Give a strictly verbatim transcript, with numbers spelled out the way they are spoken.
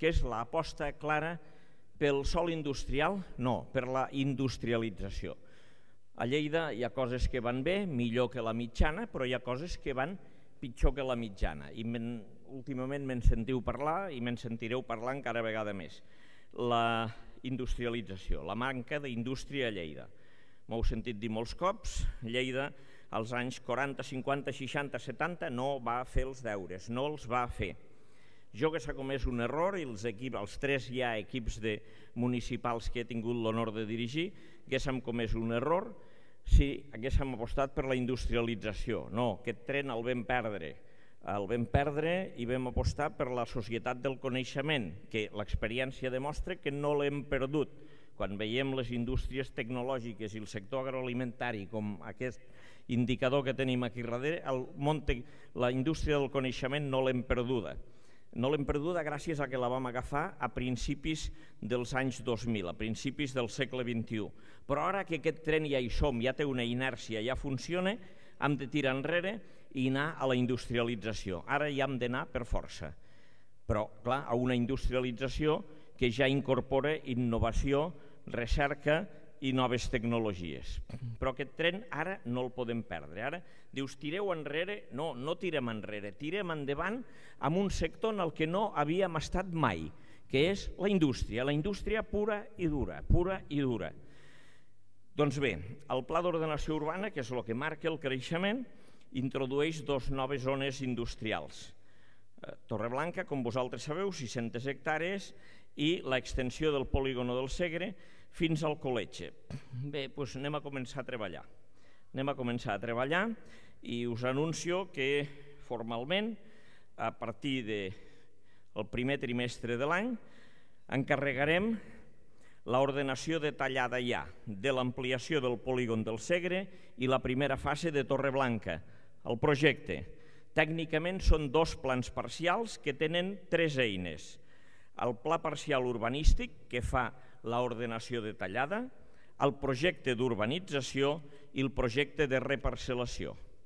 que és l'aposta clara pel sòl industrial, no, per la industrialització. A Lleida hi ha coses que van bé, millor que la mitjana, però hi ha coses que van pitjor que la mitjana. I últimament me'n sentiu parlar i me'n sentireu parlar encara vegada més. La industrialització, la manca d'indústria a Lleida. M'heu sentit dir molts cops, Lleida als anys quaranta, cinquanta, seixanta, setanta no va fer els deures, no els va fer. Jo que s'ha comès un error i els, equip, els tres ja equips de municipals que he tingut l'honor de dirigir, que s'han comès un error si haguéssim apostat per la industrialització. No, aquest tren el vam perdre. El vam perdre i vam apostar per la societat del coneixement, que l'experiència demostra que no l'hem perdut. Quan veiem les indústries tecnològiques i el sector agroalimentari com aquest indicador que tenim aquí darrere, el món, la indústria del coneixement no l'hem perduda. No l'hem perduda gràcies a que la vam agafar a principis dels anys dos mil, a principis del segle vint-i-u. Però ara que aquest tren ja hi som, ja té una inèrcia, ja funciona, hem de tirar enrere i anar a la industrialització. Ara ja hem d'anar per força. Però, clar, a una industrialització que ja incorpora innovació, recerca i noves tecnologies. Però aquest tren ara no el podem perdre. Ara dius, tireu enrere? No, no tirem enrere, tirem endavant amb un sector en el que no havíem estat mai, que és la indústria, la indústria pura i dura, pura i dura. Doncs bé, el Pla d'Ordenació Urbana, que és el que marca el creixement, introdueix dos noves zones industrials. Torreblanca, com vosaltres sabeu, sis-centes hectàrees, i l'extensió del polígono del Segre fins al Coletge. Bé, doncs anem a començar a treballar. Anem a començar a treballar i us anuncio que formalment, a partir del primer trimestre de l'any, encarregarem l'ordenació detallada ja de l'ampliació del polígon del Segre i la primera fase de Torreblanca. El projecte, tècnicament, són dos plans parcials que tenen tres eines. El pla parcial urbanístic, que fa l'ordenació detallada, el projecte d'urbanització i el projecte de reparcel·lació.